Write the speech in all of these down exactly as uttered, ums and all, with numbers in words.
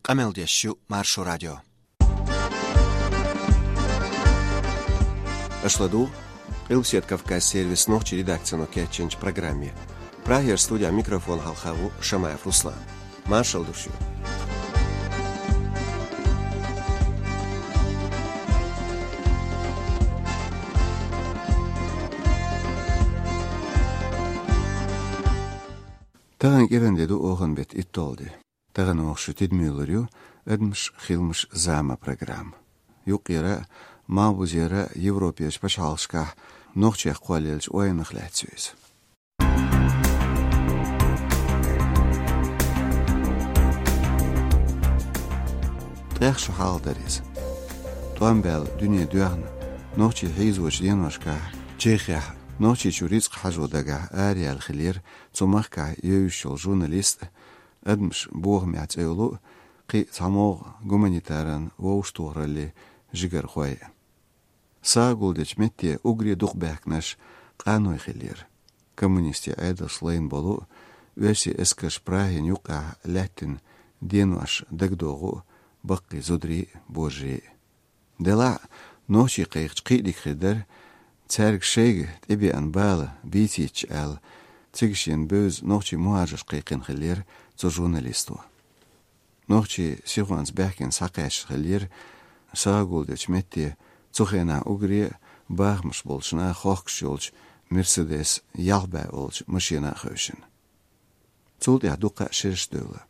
Къамел деш ю Маршо радио. Аша ладугӀу Къилбаседа Кавказ сервисан нохчийн редакцино кечйинчу программе. Прагера студехь микрофон хьалха ву Шамаев Руслан. Маршалла ду шуьга. Тахана кӀиран де ду, оханан беттан итталгӀа де. Тахана оха шун тидаме йолур ю «Адамаш, хиламаш, зама» программа. Юккъера а, малхбузера а Европерчу пачхьалкхашкахь нохчех кхоллаеллачу ойнах лаьцна ю иза. ТӀех шо хьалха дара иза. ТӀом баьлла дуьне доьхна, нохчий хьийзочу деношкахь Чехехь, Нохчийчу рицкъ хьажо дагахь араяьлла хиллера цу махкахь евзаш йолу журналист а, «Адамаш бохамехь» цӀе йолу а, кхин а цхьа могӀа гуманитаран вовшахтохараллин жигархой а. СагӀа гулдечу метте уггаре дукха баьхкинарш къаной хиллера. Коммунистийн Ӏедалша лайна болу а, оьрсийн эскарша Прагина юккъехь лаьттина денош дагадогӀу а баккхий зударий а, божарий а. Делахь а, нохчий кхайкхича кхин а дика хир дара, цаьрга шайга тӀебеана бала бийцийтича аьлла, цига шена бевза нохчий мухӀажарш кхайкхина хиллера цу журналисто. Нохчий сихонца баьхкина схьакхаьчна хиллера сагӀа гулдечу метте, цу хенахь уггаре а бахамаш болчу наха хохкуш йолчу «Мерседес» ялх бӀе олучу машина а хевшина. Цул тӀаьхьа дуккха а шераш девлла.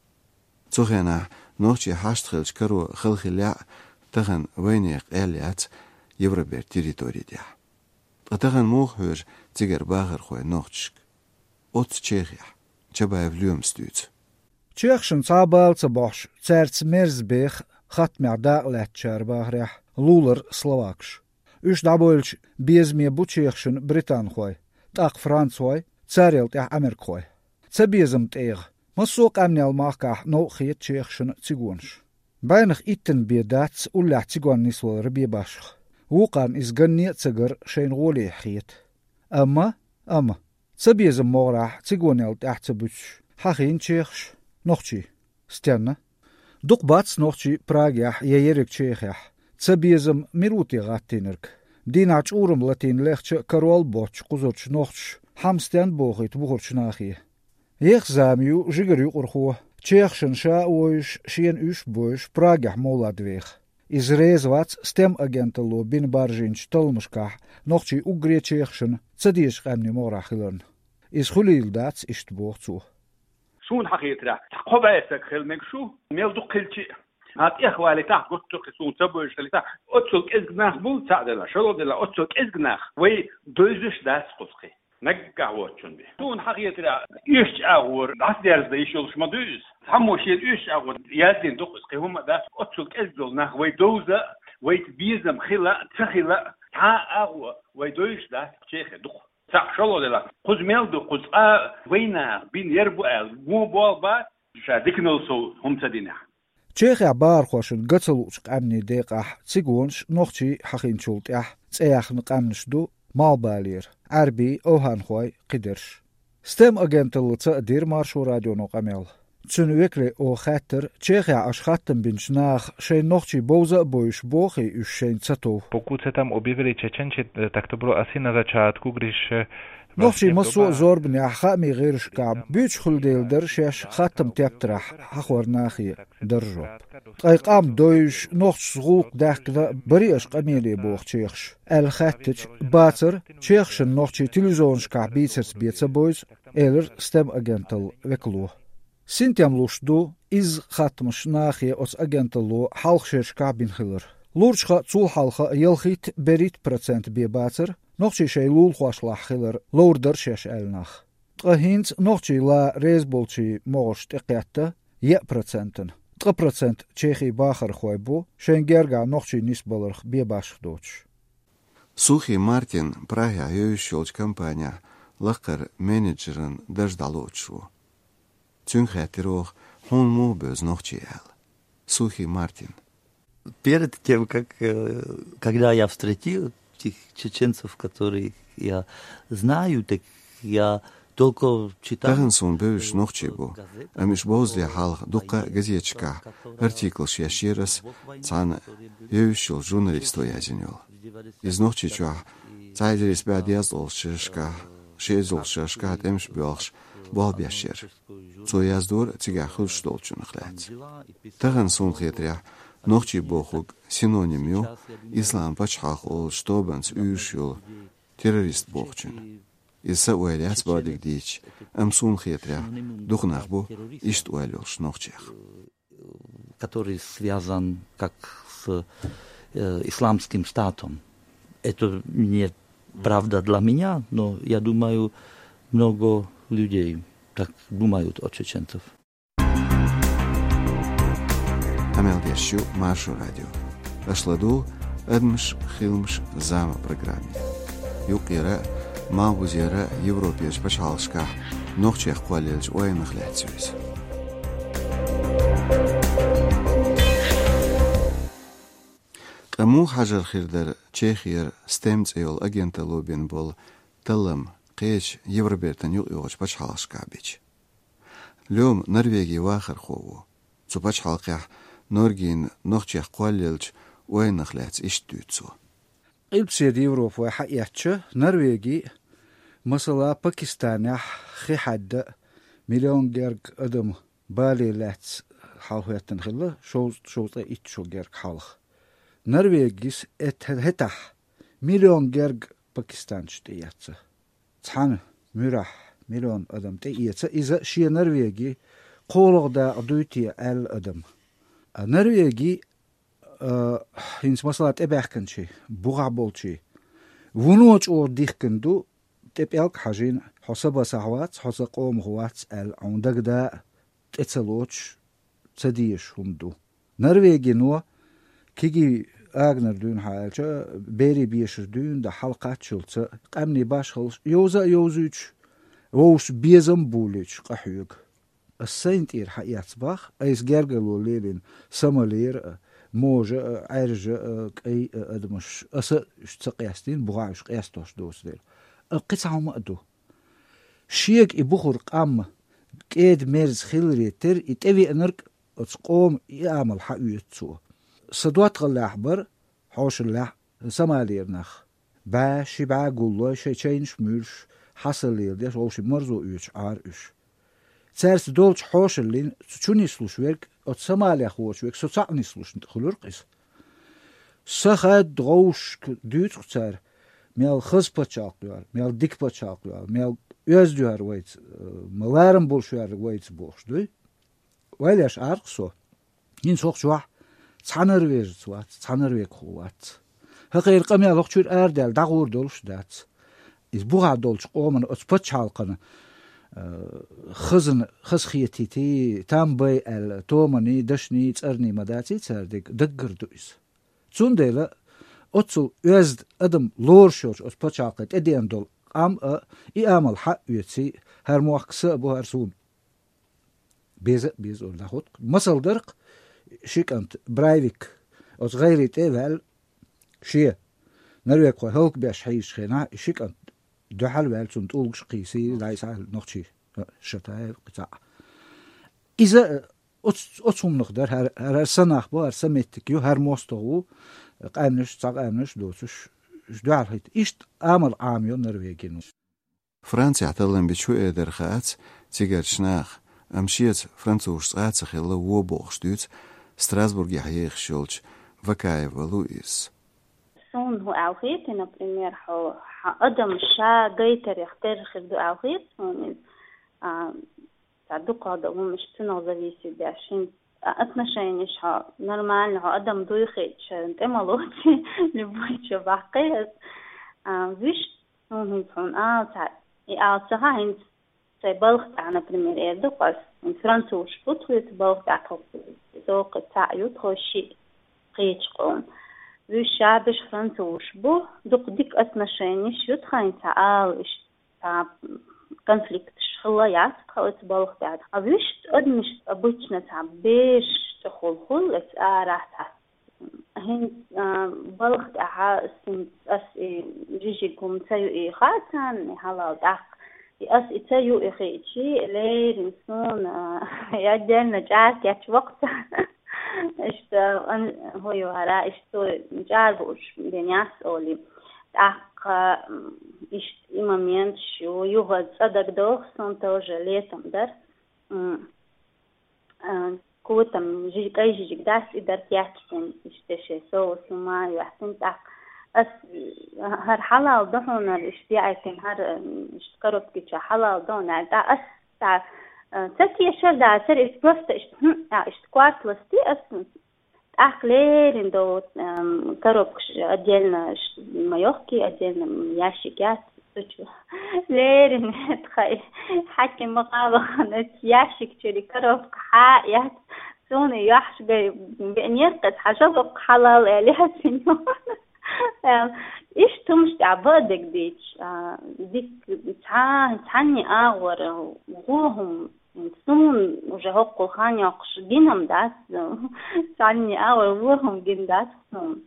Цу хенахь нохчий хьашт хиллачу каро хала хиллехь а, тахана вайнехан къаьл яц Евробертан территори тӀехь. Ткъа тахана муха хьоьжу цигара бахархой нохчашка? Оццу Чехехь. Чабаев Лоьмас дуьйцу. Чехашна цхьа а бала ца бохьуш, цаьрца мерза беха хаттамехь дакъа лаьттачара бахарехь, лулара словакаш. Уьш дӀабевлча, безаме бу чехашна британхой, тӀаккха францхой, царел тӀаьхьа америкахой. Цабезаман тӀегӀа массо а къаьмнел махкахь новкъа хета чехашна цигонаш. БӀеннах иттанна бен дац уллехь цигонна нисвалар бен башха. Вукхарна иза ганне а ца гар шайна гӀолехь хета. Амма, амма, цабезаман могӀарехь цигонел тӀаьхьа ца буьтуш, хьахийна чехаш, нохчий. Стенна? Дукха бац нохчий Прагехь я ерриг Чехехь. Цабезам мила ву те гӀаттийнарг? Дийнахь чӀурам латийна лехча а карол боцчу кхузарчу нохчаша хьама стенна бохуьйту бухарчу нахе? Еха зама ю жигара юкъархо, чехашна ша а вовзуш, шена уьш а бовзуш, Прагехь мовлад веха. Иза реза вац СТЭМ агенталло бина баржийначу талламашкахь нохчий уггаре чехашна ца дезачу къаьмнийн могӀарехь хиларна. Иза хуьлийла дац, иштта боху цо. Суна хьахетарехь, цхьа кхо бӀе стаг хила мегаш ву, мел дукха хилча а. Хьан тӀехвалийтахь, гуттар а кхин суна ца бевзаш хилийтахь, оццул кӀезиг нах бу, цхьаъ делахь, шолгӀа делахь, оццул кӀезиг нах вай девзаш дац кхуза кхин. Наггахь воцучунна бен. Суна хьахетарехь, оьшучу агӀор дӀасадерзадан йиш йолуш ма дуй иза. Цхьаммо шена оьшучу агӀор яздина ду-кх иза, кхин хӀумма а дац, оццул кӀезиг долу нах вай довза а, вайца безам хила а, ца хила а, цхьа а агӀо вай девзаш дац, Чехе ду-кх. Цхьаъ, шолгӀа делахь, кхуза мел ду, кхуза цкъа а вайнаха бина яр бу аьлла, вон болх бац, ша диканал сов хӀума ца динехь. Чехехь бахархошна ган ца луучу къаьмнийн декъахь цигонаш, нохчий хьахийначул тӀаьхьа цӀе яьхна къаьмнаш ду Малхбалера, Ӏаьрбий, овхӀанхой, кхидерш. СТЭМ агенталлица а дира Маршо радионо къамел. Цуьнан векале оха хаьттира, Чехехь аша хаттам бинчу наха шайн нохчий бовза а бовзуш бохий уьш шайна ца тов? Покуда там объявили чеченци, э, так то было asi на зачатку, говоришь, э, Нохчий массо а зорбанехь хаамийн гӀирсашкахь буьйцуш хуьлу дела дара шаьш хаттам тептарехь хьахор нахе, дара жоп. Ткъа и къам довзуш, нохчашца гӀуллакх даьхкина барий аша къамеле боху чехаш, аьлла хаьттича, бацара, чехашна нохчий телевизионашкахь бийцарца бен ца бовзу, элира СТЭМ агенталлин векало. Синтем луш ду изза хаттамаш нахе оцу агенталло хьалха шерашкахь бина хилар. Лурчха а, цул хьалха а ялхитта-берхӀитта процент бен бацара, нохчий шайн лулахошлахь хилар ловр дара шаьш аьлла нах. Ткъа хӀинца нохчий лан реза болчийн могӀарш тӀекхетта еа процентана, ткъа процент чехий бахархой бу, шайн гергахь нохчий нисбаларх бен башха доцуш. Сухий Мартин Прагехь евзаш йолчу компанехь лакхара менеджеран дарж дӀалоцуш ву. Цуьнга хаьттира оха, хьуна муха бевза нохчий аьлла. Сухий Мартин. Перед тем, как, э, когда я встретил тех чеченцев, которых я знаю, так я Только читал. Тахан суна бевзаш нохчий бу, амма уж бовзале хьалха дукха газеташкахь артиклаш еш яра ас, цхьана йовзаш йолчу журналисто язйина йолу. Иза Нохчийчохь цхьа эзар исс бӀе дезткъалгӀачу шерашкахь, ши эзарлагӀчу шерашкахь тӀемаш боьлхуш болх беш яра. Цо яздора цигахь хуьлуш долчунах лаьцна. Тахан суна хетарехь, нохчий бохург синоним ю ислам пачхьалкх олучу тобанца уьйраш йолу террорист бохучун. Иза са ойла яц бакъдерг дийцича, амма суна хетарехь, дукха нах бу иштта ойла йолуш нохчех. Который связан как с, э, Исламским Штатом. Это не правда для меня, но я думаю, много людей так думают о чеченцев. Къамел деш ю Маршо радио. Аша ладугӀу «Адамаш, хиламаш, зама» программе. Юккъера а, малхбузера а Европерчу пачхьалкхашкахь нохчех кхоллаеллачу ойланах лаьцна ю иза. Ткъа муха хьажар хир дара Чехера «Стем» цӀе йолу агенталло бина болу таллам кхечу Евробертан юкъайогӀучу пачхьалкхашкахь бича? Лёма Норвегин вахархо ву. Цу пачхьалкхехь норгина нохчех кхоллаеллачу ойланах лаьцна иштта дуьйцу цо. Къилбаседа Европа вай хьаэцча, Норвеги, масала, Пакистанехь хи хьаьдда миллион герга адам бале лаьцна хьалахӀоьттина хилла, шовзткъа, шовзткъе итт шо герга хьалха. Норвегис эт-, хӀетахь миллион герга пакистанцаш тӀеэцна. Цхьана муьрехь миллион адам тӀеэца иза шен Норвеги кхоалгӀа дакъа дуй те аьлла адам. А Норвеги, а, хӀинца масала тӀебаьхкинчий, бухахь болчий, вуно чӀогӀа дихкина ду, тӀе пӀелг хьажийна, хьо са басахь вац, хьо сан къомах вац аьлла, хьуна дагадаа тӀе ца лоцуш, ца дезаш хӀума ду. Норвегино кегий аганара дуьйна хьан аьлча, берийн бешара дуьйна дан хьалакхаччалца, къаьмнийн башхаллаш йовза а йовзуьйтуш, вовшашна безам а болуьйтуш къахьоьгу. Ас сайна тӀера хьаэцна боху, айса гергарло лелийна Сомалера а, можа а, Ӏаьржа а, кӀай а адамаш, аса уьш ца къестийна, бухахь уьш къестош доцу дела. Амма кхин цхьа хӀума а ду. Шега и бухура къам кӀеда-мерза хиларе терра, и тӀевеанарг оцу къоман и амал хьаоьцу цо. Сан доттагӀаллехь бара, хьошаллехь, Сомалера нах. БӀе, ши бӀе гуллой, шайн чайнаш а муьйлуш, хьасаллера деш, вовшийн марзо оьцуш Ӏара уьш. Цаьрца долчу хьошаллин цу чу нислуш верг оцу Сомалех воцуш верг со цхьаъ нислуш хуьлура-кх иза. Сан хадда гӀовшашка дуьйцу-кх цара, мел хаза пачхьалкх ю хӀара, мел дика пачхьалкх ю хӀара, мел оьзда ю хӀара вайца, э, ма ларам болуш ю хӀара вайца бохуш дуй. Ойла еш Ӏара-кх со. ХӀинца хӀокху чохь цхьа норвежец вац, цхьа норвегхо вац. ХӀокхеран къамел хӀокху чуьра арадаьлла дӀагӀур долуш а дац. Иза бухахь долчу къоман оцу пачхьалкхана, э, хазна, хазахетийтий, там бай аьлла, томаний, дашний, цӀарний ма даций цара дерг, даггара ду иза. Цундела оццул оьзда адам лоруш йолчу оцу пачхьалкхе тӀедеана долу къам а и амал хьаоьций, хӀара мохк сан а бу, хӀара суна беза а беза олу дӀахӀутту. Масал дара-кх, ши кӀант Брайвик оцу гӀайре тӀе а ваьлла, шен норвегхой хӀаллакбеш хьийзачу хенахь, и ши кӀант дуьхьал а ваьлла, цунна тӀулгаш а кхийсий, дӀасахьа нохчий, а, Шатаев кхин цхьаъ. Иза, а, оц-, оцу хӀуманах дара, хӀара, хӀара сан нах бу, хӀара сан меттиг ю, хӀара мостагӀа ву, къаьмнаш, цхьа къаьмнаш а доцуш, уьш дуьхьал хӀитта. Иштта амал Ӏамайо Норвегино. Францехь таллам бича хӀун эр дара хаац цигарчу наха, амма шеца французаш цкъа а ца хилла вон бохуш дуьйцу Страсбургехь ехаш йолчу Вакаева Луизас. Суна хӀун аьлла хета, например, хьо, хьан адам ша гайтарех терра хир ду аьлла хета суна иза. А, цхьа дукхах долу хӀуманаш цунах зависит беш. ХӀинца, а, отношенеш хьо нормально, хьо адам дуй хеташ, тӀе ма лоций, любой чу баккхий ас. А, вуьш, хӀун хӀинца хьуна ала цхьа, и ала ца хаьа хӀинца. Сайн балха тӀехь, например, эр ду-кх ас, хӀинца французаш бу тхоьца балха тӀехь, тхо, со кхин цхьаъ ю, тхо шиъ кхечу къоман. Вуьш шабеш французаш бу, дукха дика отношенеш ю тхан, цхьа ала иштта, цхьа конфликташ хилла яц тхан оцу балха тӀехь. А вуьш адамаш обычно цхьа бешаш тӀехула хуьлу, эца арахь цхьа. ХӀинца, а, балха тӀехь ас, хӀинца ас и жижиг хӀума ца ю и хаьа царна, и хьалал тӀаккха. Ас и ца юхиъчи, леррина суна, а, отдельно чӀарка яц воккха. Иштта, ан-, хӀу ю хӀара, иштта цо чӀара бууш бен яц оли. ТӀаккха, м, иштта и момент шу, юха цӀа дагадоагӀа суна тоже летом дар. М, а, котам жи-, кӀай жижиг дац и дар кечден, иштта ши соус ма яхтин тӀаккха. Ас, а, хӀара хьалал да хьуна, иштта яхтин, хӀара, м, иштта коробки чу хьалал да хьуна, тӀа ас, тӀа, а, ца кешар дацар, иштта просто иштта, хм, а, иштта кварт ласти ас, тӀаккха леррина до, ам, коробкаш отдельно ш-, ма йохки, отдельно, м, ящик яц, цу чу. Леррина тхай хьаким ма къалахана, ящик чури коробка хьа яц. Суна яхьш гай, бе-, неркъес хьажа локх хьалал, эли хьациньо. Ам, иш тумш тӀа бадег дич, а, дик цхьа-, цхьанни агӀор, гӀо хӀум, Сун уже хӀоккхул хан йоккхуш гинам дац, цхьанне а вай вохум гин дац сун.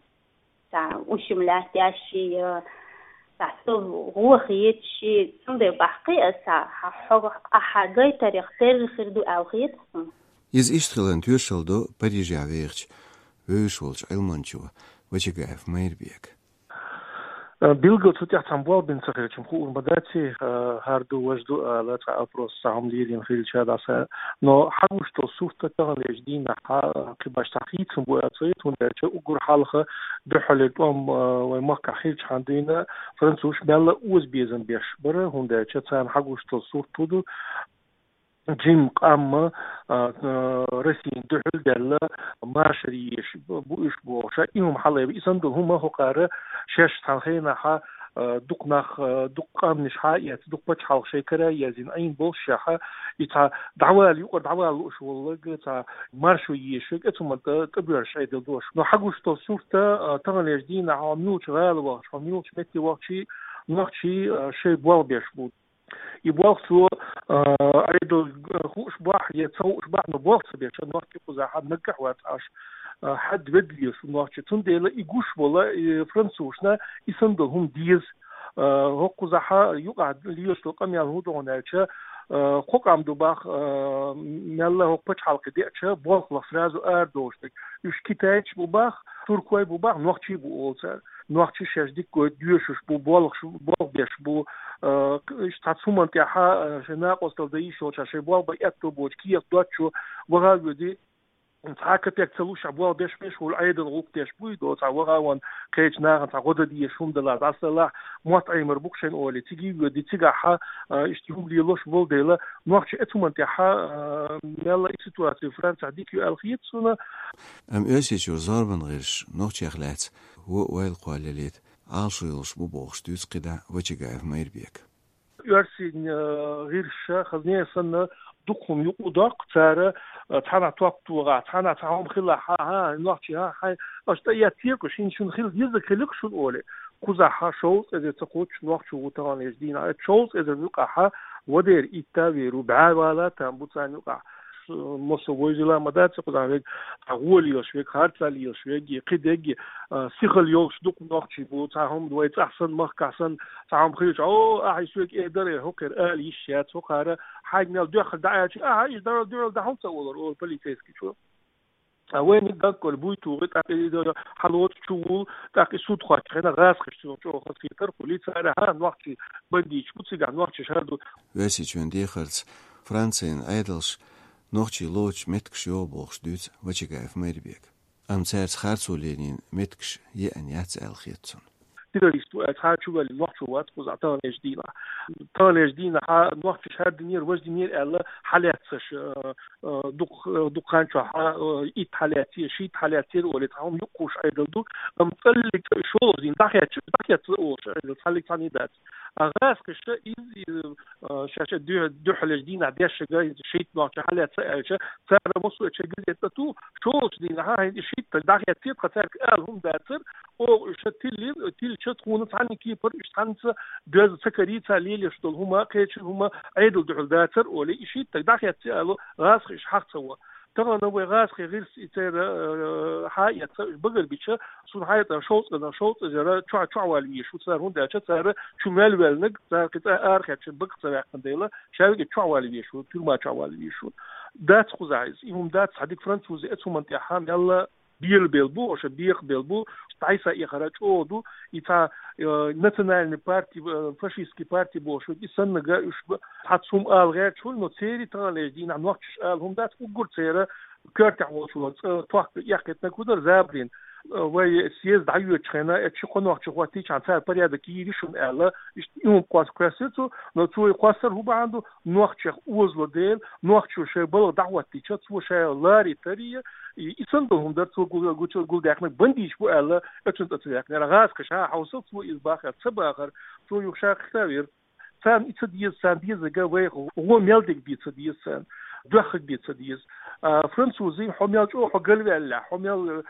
Ца ушим лаьттящие, ца су гӀо хетши, цундай бахкъи аса, хьа хьо-, а хьа гайтарих терри хир ду ау хет сун. Из иштта хилан тоьшалла ду Парижехь вехача вевзаш волчу Ӏилманчо Вачагаев Майрбека. Э, билггал цу тӀехь цхьана болх бина ца хилча-м хуур ма дац, э, хӀара ду, важа ду ала цхьа опрос цхьа хӀума лелийна хилча дӀаса. Но хьагуш долу сурт таханлерчу дийнахь, э, кхин баш цхьа хийцам бу аьлла ца хета, хӀунда аьлча уггар хьалха дуьххьарлера тӀом, э, вайн махкахь хилчахьана дуьйна французаш мелла а озабезам беш бара, хӀунда аьлча царна хьагуш долу сурт хӀун ду, жима къам, а, а, Россин дуьхьал даьлла, машар еш бу уьш бохуш, и хӀума хьалаайбира. И санна долу хӀума хӀокхара шаьш цхьана хенахьа, а, дукха нах, а, дукха къаьмнаш хьа а эцна, дукха пачхьалкх шайн кара а езйина Ӏийна болуш шаьхьа, и цхьа дӀавала, юкъара дӀавала лууш волларг, цхьа маршо ешарг, оцу хӀуманна тӀа, тӀебоьрзуш Ӏедал долуш. Но хьагуш долу сурт, а, таханлерчу дийнахь хьо муьлхачу гӀала вахча, хьо муьлхачу метте вахча, нохчий, а, шайн болх беш бу. И болх цо, а, Ӏедал, а, хууш бахь, я ца хууш бахь, но болх ца беш, нохчий кхузахьа наггахь вац Ӏаш, а, хьад вед лелаш ву нохчий. Цундела и гуш волу, и французашна и санна долу хӀума деза. А, хӀокхузахьа юкъахь лелаш долу къамел хӀун ду хьуна аьлча, а, кхо къам ду бах, а, мелла хӀокху пачхьалкхе деача, болх лаха сразу арадолуш дерг. Уьш китайцаш бу бах, туркой бу бах, нохчий бу олу цара. Нохчий шаьш дика гойту доьшуш бу, болх, болх беш бу, а, иштта цхьацца хӀуманна тӀехьа, а, шайн накъосталла дан йиш йолчохь, шайн болх бан аьтто боцу кехат доцучо ваха а воьди, цхьа капек ца луш, болх беш беш волу Ӏедал гӀуллакх деш буй, до цхьа ваха а ван кхечу нахана цхьа гӀо дан дезаш хӀума далахь, дӀасалахь, мотт Ӏемар бу-кх шайна олий, цига а воьди, цигахьа, а, иштта хӀума лелош болу дела, нохчий оцу хӀуманна тӀехьа, а, мелла и ситуаци Францехь дика ю аьлла хета суна. Амма Оьрсийчуьра зорбан гӀирсаш нохчех лаьцна вон а ойла кхоллалийта Ӏалашо йолуш бу бохуш дуьйцу кхидӀа Вачагаев Майрбека. Оьрсийн, э, гӀирсаша, хазне а санна, дукха хӀума юкъа доккху цара, э, цхьанхьа топ тогӀахь, цхьанхьа цхьа хӀума хилахь, хьан, хьан, нохчий, хьан, хьайн, аша тӀеэццийра-кх шуна, шуна хила дезарг хилира-кх шуна олий. Кхузахьа шовзткъа эзар ца кхоччуш нохчо ву таханлерчу дийнахь. Оцу шовзткъа эзар юкъахьа вадера итт а вер ву, бӀе вала а там бу царна юкъахь. Массо войзийла ма дац, кхузахь верг, цхьа гӀо лелаш верг, харцо лелаш верг, кхидерг, а, сихалла йолуш дукха нохчий бу, цхьа хӀума вай цӀахь санна, махкахь санна, цхьа хӀума хилча, о, ахьа и соьга эр дара, хӀокхуьра ала йиш яц, хӀокхара хьайга мел доьххар дӀаьлча, ахьа, иштта дара дуьхьал дӀахьула ца олура, олу полицейскичо. А вайниг даггара буй тухий, тӀаккха и хьалоцу чу вул, тӀаккха и суд кхоччу хенахь гӀазкхаша цунах чӀогӀа хазахетар хуьлий, цара хьан нохчий бандиташ бу, цигахь нохчий шар ду. Оьрсийчоьнан дехарца Францин Ӏедалша нохчий лоцуш меттигаш йогӀу бохуш дуьйцу Вачагаев Майрбека. Амма цаьрца харцо лелийна меттигаш еана яц аьлла хета цунна. Террорист ву аьлла, цхьа а чувоьллина нохчо вац кхузахь таханлерчу дийнахь. Таханлерчу дийнахьа нохчаша хӀара динера, важа динера аьлла, хьалаьццаш, а, а, дукха, дукха хан чохь, а, итт хьалаьццера, шийтта хьалаьццера олий, цхьа хӀума юкъахуш Ӏедал ду, амма цӀаллиг цӀа шолгӀа дийна дӀахецча, дӀахецна олуш Ӏедал, цхьаллиг цхьаьна дац. А гӀазкхаша иза, иза, а, шаьш дуьхьа-, дуьххьалерчу дийнахь дешшага шийтта нохча хьалаьцна аьлча, цара массо а чу газет тӀе ту, шолгӀачу дийнахьа хӀинца и шийтта дӀахеццийра, тхан цаьрга ала хӀума дацара, оха уьш тиллира, тиллича тхуна цхьанна кепара уьш цхьаьнца доьзна ца карий, цара лелош долу хӀума, кхечу хӀума Ӏедал дуьхьал дацара олий, и шийтта дӀахецций ала, гӀазкхаша хьах ца во. Тахана вай гӀазкхий гӀирс и церан, э, хьаэца багарбича, сона хьаэца шовзткъа, шовзткъа эзар чу, чу вала везаш ва цар, хӀунда аьлча цар чу мел ваьлнаг, цар кхин цӀа арахецача бага ца ваьккхина дела, шаьлга чу вала везаш ва, тюрьма чу вала везаш ва. Дац кхузахь из, и хӀума дац, хьадиг французы эцу хӀуман тӀехьа мелла бела бел бу, оша бекъа бел бу, тайса и хара чӀогӀа ду, и цхьа, э, национальный парти, э, фашистский парти бохуш, и саннага уьш б-, цхьа цум ала гӀерташ хуьлу, но церий таханлерчу дийнахь нохчаш ала хӀума дац, уггар церан коьртехь волчо цӀа тохка эккхийтинарг хӀун дара, забарийн, э, вай съезд дӀайоьдучу хенахь, э, ши-кхо нохчи хӀоттийчхьана цара порядок йийр ю шуна аьлла, иштта и хӀума кхосса кхоьссира цо, но цо и кхоссар хӀун бахьана ду, нохчех озало дела, нохчо шайн балха дӀахӀоттийча, цо шайн ларий тарий, и, и санна долу хӀума дара цо гу-, гучу-, гулдаьккхинарг, бандиташ бу аьлла, оцунна тӀе ца ваьккхинера. ГӀазкхаша хьовсал, цо иза бахара, ца бахара, цо юха ша кхетавира. Царна и ца деза, царна дезарг вайх гӀо мел дерг бен ца деза царна, доьхнарг бен ца деза. А, французий, хьо мел чӀогӀа хьо галваьллехь, хьо мел, э,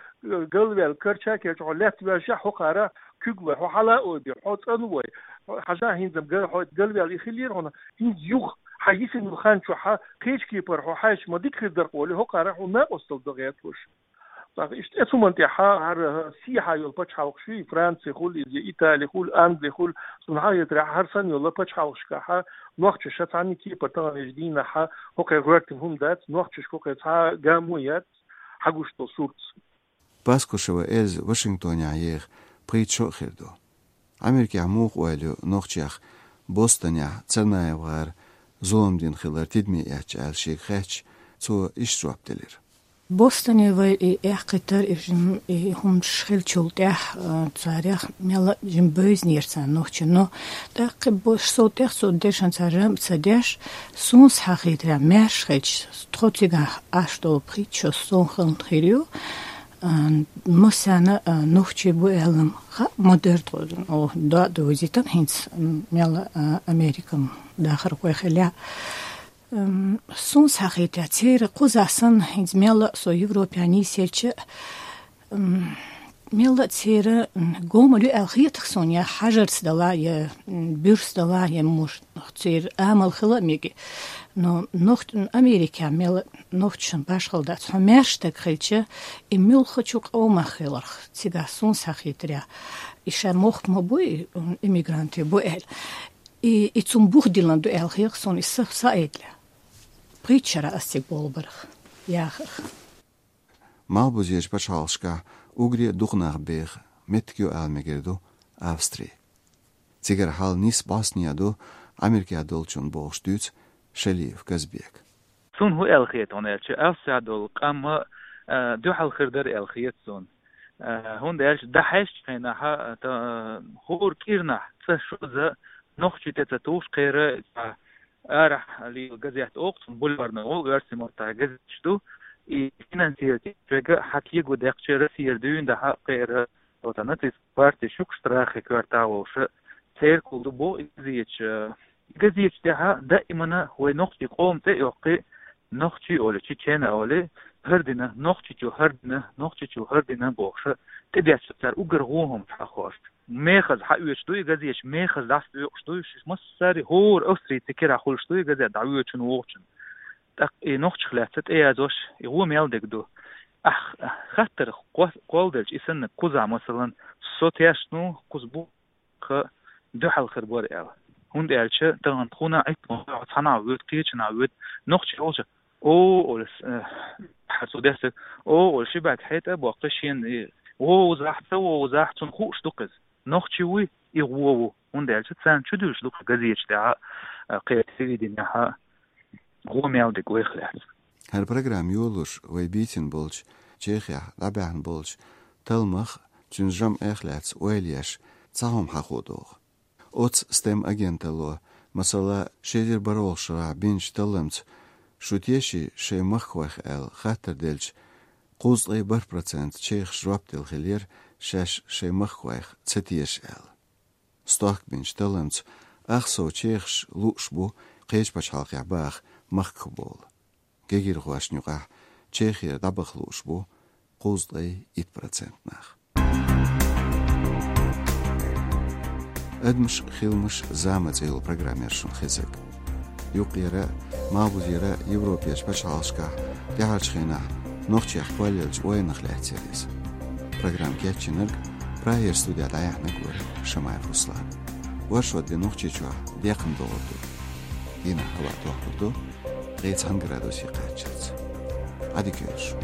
галваьлла, карча а керча, хьо лаьтта ваьллашехь, хӀокхара куьг лой, хьо хьала а ойбе, хьо цӀанвой, хьажа хӀинца-м га-, хьо галваьлла и хилира хьуна, хӀинца юха хьан йисина йолу хан чохь кхечу кепара хьо хьаьжча ма дика хир дара-кх олий, хӀокхара хьуна накъосталла дан гӀерташ. ТӀаккха иштта эцу хӀуманна тӀехьа хӀара сехьа йолу пачхьалкхаш ю, и Франци хуьлу иза, я Итали хуьлу, Англи хуьлу, суна хьахетарехь, хӀара санна йолу пачхьалкхашкахь нохчаша цхьаьна кепара таханлерчу дийнахь хӀокхеран гӀоьртина хӀума дац, нохчашка хӀокхеран цхьа а гамо яц хьагуш долу сурт. Паскушева Эльза Вашингтонехь еха пхийтта шо а хир ду. Америкехь муха ойла ю нохчех Бостонехь Царнаев-гӀара зулам дина хилар тидаме эцча аьлла шега хаьттича, цо иштта жоп делира. Бостоне вай и эккхийтар, и жим-, и хӀуманаш хиллачул тӀаьхьа, а, царех мелла а жима бевзинера царна нохчийн. Но тӀаккха бо-, шо сов тӀех цу дешан цара жамӀ ца деш, суна хьахийтарехь, маьрша хилча, тхо цигахь Ӏаш долу пхийтта шо суна хилла хир ю. А, массарна, а, нохчий бу аьлла-м хаьа ма дара тхо, о, доа довзийтина хӀинца, м, мелла а, Американ дахархой хиллехь. М, суна хьахийтарехь, церан кхузахь санна, хӀинца мелла а со Европехь нийсъелча, м, мелла а церан, м, гомал ю аьлла хета-кх суна, я хьажарца дала, я, м, буьрса дала, я муш-, церан амал хила а мега. Но нохч-, Америкехь мелла а нохчашна башхалла дац. Хьо маьрша стаг хилча, и муьлххачу къомах хиларх, цигахь суна хьахийтарехь, и шайн мохк ма бу, и, м, иммигрант бу аьлла. И, и цунна бух диллина ду аьлла хета-кх суна, и са, са айдале. Пхийтта шарахь ас цига болу барах, яхарх. Малхбузерчу пачхьалкхашкахь уггаре а дукха нах беха меттиг ю ала мегар ду Австри. Цигара хьал нийса бӀостанехьа ду Америкехь долчунна, бохуш дуьйцу Шалиев Казбека. Суна хӀун аьлла хета хьуна аьлча, Австрехь долу къам, а, дуьхьал хир дара аьлла хета суна. А, хӀунда аьлча дӀахьаьжчу хенахь, а, та, а, хӀора кӀирнахь цӀа шозза нохчий тӀе ца тухуш кхера, а, арахь лела газет оха цунна, Бульварный олу оьрсийн маттахь газеташ ду, и финансировать еш верг а хьан кего даьккхича Россера дуьйна дахьа кхера, оцу нацистский партеш ю-кх Страхе коьртехь волуш, церкал ду боху и газеташ. И газеташ тӀехь даимана вай нохчийн къоман цӀе а йоккхий, нохчий олий, чечен а олий, хӀара дина, нохчичу хӀара дина, нохчичу хӀара дина бохуш, тӀедетташ цара уггар вон хӀума хьахош. Мехаза хьаоьцуш ду и газеташ, мехаза дӀасадоькъуш ду уьш, массари, хӀора австрийци кирахь хуьлуш ду и газет дӀавоьдучунна, вогӀучунна. ТӀаккха и нохчех лаьцна тӀеязош, и вон мел дерг ду. Ахь хаттар кхо-, кхолладелча, и санна кхузахь, масалан, со тешна ву, кхуза бу, кха дуьхьал хир бара аьлла. ХӀунда аьлча тахана тхуна Ӏиттаман хьо цхьанхьа воьду, кхечанхьа воьду, нохчий олуш, о, олуш, э, хьан цо дестаг, о, олуш, ши бӀаьрг хьетӀа а боккхий шена, и, вовзахь, ца вовзахь, цунна хууш ду-кх иза. Нохчи вуй, и гӀо ву. ХӀунда аьлча царна чудуьлуш ду-кх газеташ тӀехь, э, кхеран телевиденехь гӀо мел дерг вайх лаьцна. ХӀара программа йолалуш вай бийцина болчу, Чехехь дӀабаьхьна болчу талламах, цуьнан жамӀех лаьцна ойла еш, цхьа хӀума хьахо догӀу. Оцу STEM агенталло, масала, ши эзар бархӀалгӀачу шарахь бинчу талламца, шу теший шайн махкахойх аьлла хаттар делча, кхузткъе бархӀ процент чехаш жоп делла хиллера, шаьш шайн махкахойх ца теша аьлла. Стохка бинчу талламца, ах сов чехаш лууш бу кхечу пачхьалкхехь баха махкахбовла. Гегирхошна юкъахь Чехера дӀабаха лууш бу кхузткъе итт процент нах. «Адамаш, хиламаш, зама» цӀе йолу программа яра шуна хезарг. Юкъера, малхбузера Европерчу пачхьалкхашкахь тӀаьхьарчу хенахь нохчех кхоллаеллачу ойланах лаьцна яра иза. Программа кечйинарг, Прагера студехь дӀаяьхьнарг вара Шамаев Руслан. Оршот де Нохчийчохь декхна догӀур ду. Дийнахь хӀаваъ дохкур ду ткъе цхьана градусе кхаччалц. Ӏадика йойла шун.